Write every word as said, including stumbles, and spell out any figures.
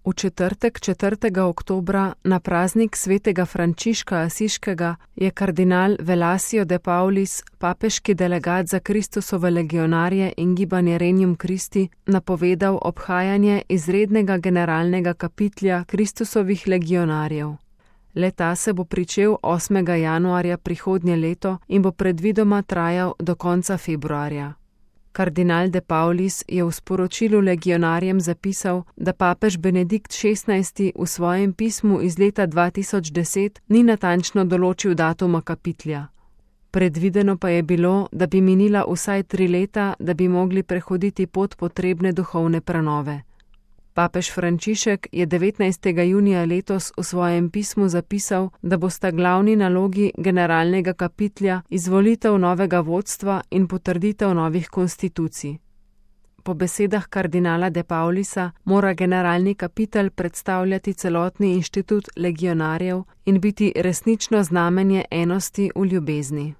V četrtek, četrtega oktobra, na praznik svetega Frančiška Asiškega, je kardinal Velasio de Paulis, papeški delegat za Kristusove legionarje in gibanje Regnum Christi, napovedal obhajanje izrednega generalnega kapitlja Kristusovih legionarjev. Le-ta se bo pričel osmega januarja prihodnje leto in bo predvidoma trajal do konca februarja. Kardinal de Paulis je v sporočilu legionarjem zapisal, da papež Benedikt šestnajsti v svojem pismu iz leta dva tisoč deset ni natančno določil datuma kapitlja. Predvideno pa je bilo, da bi minila vsaj tri leta, da bi mogli prehoditi pot potrebne duhovne prenove. Papež Frančišek je devetnajstega junija letos v svojem pismu zapisal, da bosta glavni nalogi generalnega kapitlja izvolitev novega vodstva in potrditev novih konstitucij. Po besedah kardinala de Paulisa mora generalni kapitel predstavljati celotni inštitut legionarjev in biti resnično znamenje enosti v ljubezni.